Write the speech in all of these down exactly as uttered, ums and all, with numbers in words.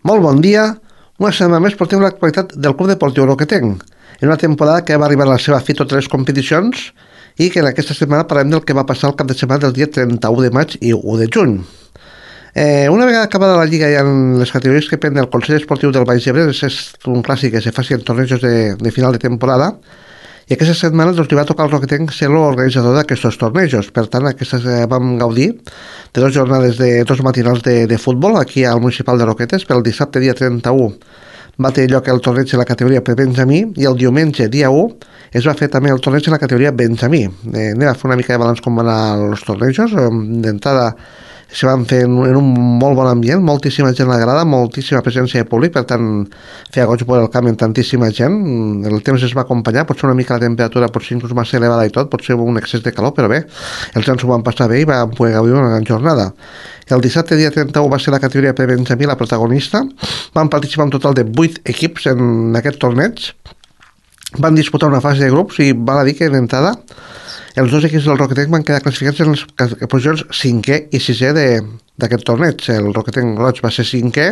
Molt bon dia. Una setmana més portem l'actualitat del Club Deportiu Roquetenc, en una temporada que va arribar a la seva fi totes les competicions i que en aquesta setmana parlem del que va passar el cap de setmana del dia trenta-u de maig i u de juny. Eh, una vegada acabada la Lliga i en les categories que prenen el Consell Esportiu del Baix Ebre, és un clàssic que se faci en tornejos de, de final de temporada, i aquesta setmana doncs, li va tocar al Roquetenc ser l'organitzador d'aquests tornejos. Per tant, aquestes eh, vam gaudir de dues jornades de dos matinals de, de futbol aquí al Municipal de Roquetes. Pel dissabte, dia trenta-u, va tenir lloc el torneig de la categoria prebenjamí i el diumenge, dia u, es va fer també el torneig de la categoria benjamí. Eh, anem a fer una mica de balanç com van anar els tornejos. D'entrada, se van fer en, en un molt bon ambient, moltíssima gent a la grada, moltíssima presència de públic, per tant feia goig veure el camp amb tantíssima gent. El temps es va acompanyar, potser una mica la temperatura potser inclús massa elevada i tot, potser un excés de calor, però bé, els gens s'ho van passar bé i van poder gaudir una gran jornada. El dissabte, dia trenta-u, va ser la categoria prebenjamí la protagonista. Van participar un total de vuit equips en aquest torneig, van disputar una fase de grups i val a dir que d'entrada els dos equips del Roquetenc van quedar classificats en les posicions cinquè i sisè d'aquest torneig. El Roquetenc Roig va ser cinquè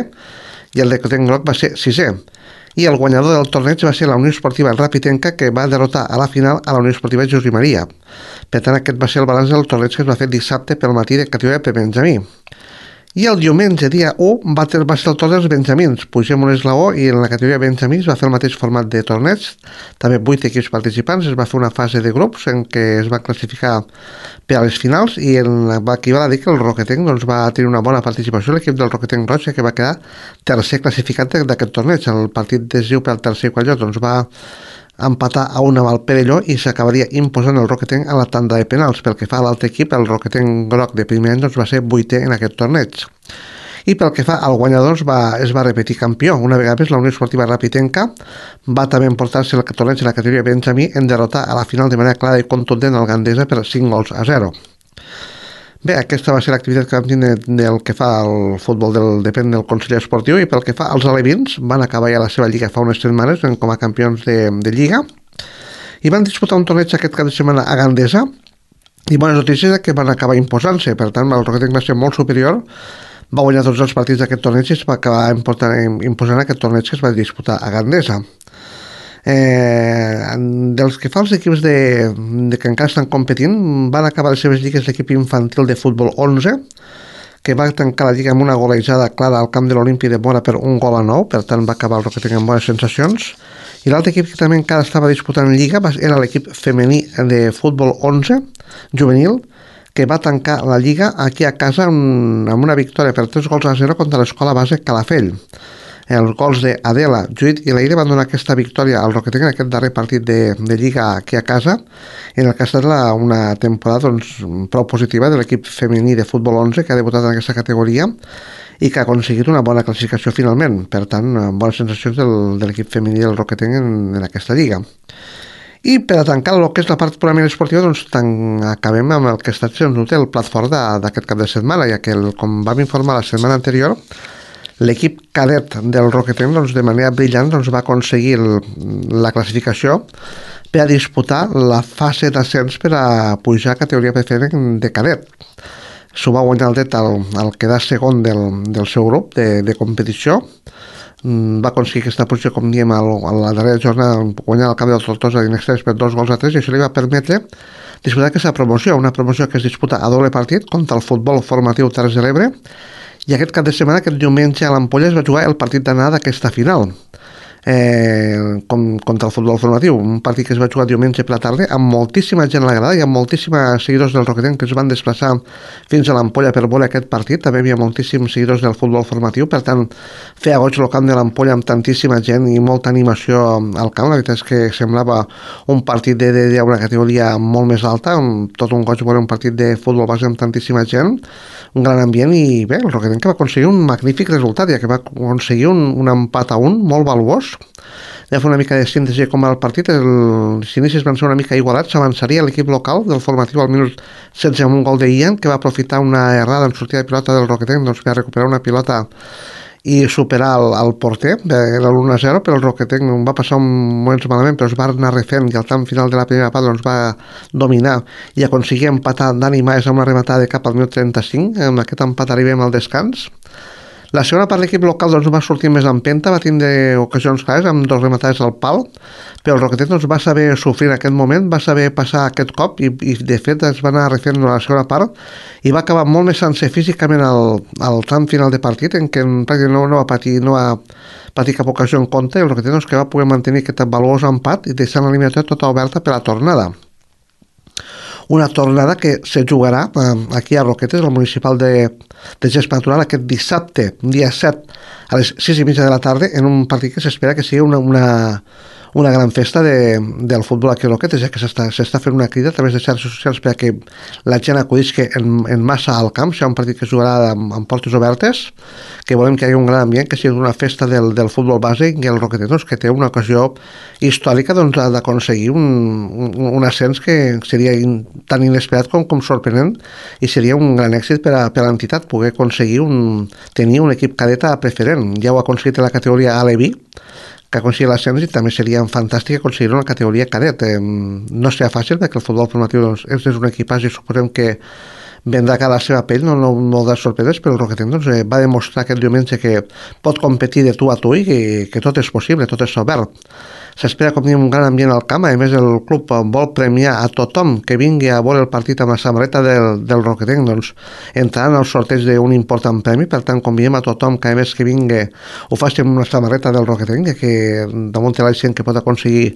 i el Roquetenc Groc va ser sisè. I el guanyador del torneig va ser la Unió Esportiva Rapitenca, que va derrotar a la final a la Unió Esportiva José Maria. Per tant, aquest va ser el balanç del torneig que es va fer dissabte pel matí de categoria prebenjamí. I el diumenge, dia u, va, ter, va ser el torn dels benjamins. Pugem un esglaó i en la categoria benjamins va fer el mateix format de torneig. També vuit equips participants. Es va fer una fase de grups en què es va classificar per a les finals i en la, aquí val a dir que el Roquetenc doncs, va tenir una bona participació. L'equip del Roquetenc Roig, que va quedar tercer classificat d'aquest torneig. El partit decisiu per al tercer i quart lloc doncs, va empatar a un amb el Perelló i s'acabaria imposant el Roquetenc a la tanda de penals. Pel que fa a l'altre equip, el Roquetenc Groc de primer any doncs, va ser vuitè en aquest torneig. I pel que fa al guanyador, va, es va repetir campió. Una vegada més, la Unió Esportiva Rapitenca va també emportar-se el torneig de la categoria benjamí en derrotar a la final de manera clara i contundent al Gandesa per cinc gols a zero. Bé, aquesta va ser l'activitat que vam tenir del que fa al futbol del, depèn del Consell Esportiu, i pel que fa als alevins, van acabar ja la seva lliga fa unes setmanes com a campions de, de lliga i van disputar un torneig aquest cap de setmana a Gandesa, i bones notícies que van acabar imposant-se. Per tant, el Roquetenc va ser molt superior, va guanyar tots els partits d'aquest torneig i es va acabar imposant, imposant aquest torneig que es va disputar a Gandesa. Eh, dels que fa els equips de, de que encara estan competint, van acabar les seves lligues l'equip infantil de futbol onze, que va tancar la lliga amb una golejada clara al camp de l'Olímpic de Mora per un gol a nou. Per tant va acabar el Roquetenc amb bones sensacions. I l'altre equip que també encara estava disputant lliga era l'equip femení de futbol onze juvenil, que va tancar la lliga aquí a casa amb una victòria per tres gols a zero contra l'escola base Calafell. Els gols d'Adela, Judit i Leire van donar aquesta victòria al Roquetenc en aquest darrer partit de, de Lliga aquí a casa, en el que ha estat la, una temporada doncs, prou positiva de l'equip femení de futbol onze, que ha debutat en aquesta categoria i que ha aconseguit una bona classificació finalment. Per tant, bones sensacions del, de l'equip femení del Roquetenc en, en aquesta lliga. I per a tancar el que és la part purament esportiva, doncs tan, acabem amb el que ha estat sens dubte el plat fort d'aquest cap de setmana, ja que, el, com vam informar la setmana anterior, l'equip cadet del Roquetenc doncs, de manera brillant doncs, va aconseguir el, la classificació per a disputar la fase d'ascens per a pujar a categoria preferent de cadet. S'ho va guanyar el det al, al quedar segon del, del seu grup de, de competició. Va aconseguir aquesta posició, com diem, a la darrera jornada, guanyar el camp del Tortosa d'Inextrés per dos gols a tres, i això li va permetre disputar aquesta promoció, una promoció que es disputa a doble partit contra el futbol formatiu Terres de l'Ebre. I aquest cap de setmana, aquest diumenge a l'Ampolla, es va jugar el partit d'anada d'aquesta final, eh, com, contra el futbol formatiu. Un partit que es va jugar diumenge per la tarda, amb moltíssima gent a la grada i amb moltíssims seguidors del Roquetenc que es van desplaçar fins a l'Ampolla per veure aquest partit. També hi havia moltíssims seguidors del futbol formatiu, per tant, feia goig el camp de l'Ampolla amb tantíssima gent i molta animació al camp. La veritat és que semblava un partit d'una categoria molt més alta, amb tot un goig veure un partit de futbol base amb tantíssima gent, un gran ambient. I bé, el Roquetenc que va aconseguir un magnífic resultat, ja que va aconseguir un, un empat a un molt valuós. Ja fer una mica de síntesi com va el partit. Els inicis van ser una mica igualats. S'avançaria l'equip local del formatiu al minut setze amb un gol de Ian, que va aprofitar una errada en sortida de pilota del Roquetenc doncs, per recuperar una pilota i superar el, el porter. Era l'u a zero, però el Roquetenc va passar un moments malament, però es va anar refent i al tram final de la primera part doncs, va dominar i aconseguir empatar Dani Maes amb una rematada de cap al minut trenta-cinc. Amb aquest empat arribem al descans. La segona part, l'equip local doncs, va sortir més empenta, va tindre ocasions clares amb dos rematades al pal, però el Roquetet doncs, va saber sofrir en aquest moment, va saber passar aquest cop i, i de fet es va anar refent la segona part i va acabar molt més sencer físicament al, al tram final de partit, en què pràcticament no, no va patir, no va patir cap ocasió en compte, i el Roquetet doncs, que va poder mantenir aquest valuós empat i deixant l'eliminació tota oberta per la tornada. Una tornada que se jugarà eh, aquí a Roquetes, al municipal de, de Gest Natural, aquest dissabte, dia set, a les sis i mitja de la tarda, en un partit que s'espera que sigui una, una, una gran festa de, del futbol aquí a Roquetes, ja que s'està fent una crida a través de xarxes socials perquè la gent acudisca en, en massa al camp, serà un partit que es jugarà amb, amb portes obertes, que volem que hi hagi un gran ambient, que sigui una festa del, del futbol base i el Roquetes, doncs, que té una ocasió històrica doncs, d'aconseguir un, un, un ascens que seria in, tan inesperat com, com sorprenent, i seria un gran èxit per a, per a l'entitat poder aconseguir un, tenir un equip cadeta preferent. Ja ho ha aconseguit en la categoria A Levi, que aconseguir l'ascens, i també seria fantàstic aconseguir una categoria cadet. Eh, no serà fàcil perquè el futbol formatiu doncs, és, és un equipatge i suposem que vendrà cada la seva pell, no, no, no de sorpreses, però el Roquetet doncs, eh, va demostrar aquest diumenge que pot competir de tu a tu i que, que tot és possible, tot és obert. S'espera com diem un gran ambient al camp, a més el club vol premiar a tothom que vingui a veure el partit amb la samarreta del, del Roquetet, doncs entraran al sorteig d'un important premi, per tant convidem a tothom que a més que vingui ho faci amb una samarreta del Roquetet, que damunt la gent que pot aconseguir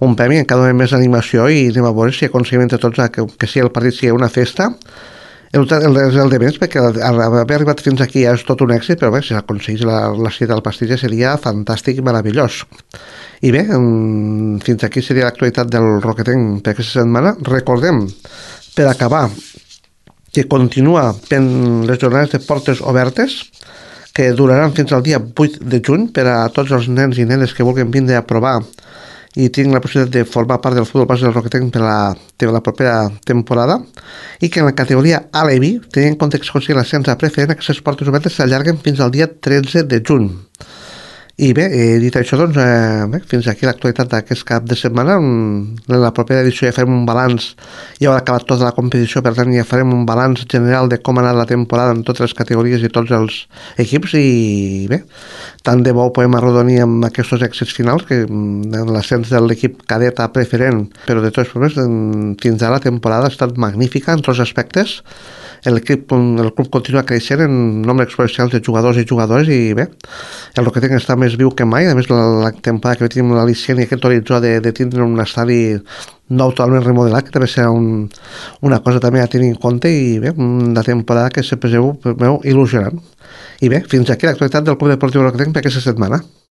un premi, encara donem més animació i anem a veure si aconseguim entre tots que, que si el partit sigui una festa. El, el, el de més, perquè haver arribat fins aquí ja és tot un èxit, però bé, si aconseguís la, la cita del pastís seria fantàstic i meravellós. I bé, fins aquí seria l'actualitat del Roquetenc per aquesta setmana. Recordem, per acabar, que continua fent les jornades de portes obertes, que duraran fins al dia vuit de juny per a tots els nens i nenes que vulguin vindre a provar i tinc la possibilitat de formar part del futbol base del Roquetenc per la, per la propera temporada, i que en la categoria A Levi, tenint en compte que es consigui l'ascens a preferent, aquestes portes obertes s'allarguen fins al dia tretze de juny. I bé, eh, dit això, doncs, eh, bé, fins aquí l'actualitat d'aquest cap de setmana. En la propera edició ja farem un balanç, ja haurà acabat tota la competició, per tant ja farem un balanç general de com ha anat la temporada en totes les categories i tots els equips, i bé, tant de bo podem arrodonir amb aquests èxits finals, que en l'ascens de l'equip cadet a preferent, però de tots els problemes, fins ara la temporada ha estat magnífica en tots els aspectes. L'equip, el club continua creixent en nombre exponencial de jugadors i jugadores, i bé, el Roquetenc està més viu que mai. A més, la, la temporada que tenim l'al·licient i aquest horitzó de, de tindre un estadi nou totalment remodelat, que també serà un, una cosa també a tenir en compte, i bé, una temporada que sempre es veu il·lusionant. I bé, fins aquí l'actualitat del Club Deportiu Roquetenc per aquesta setmana.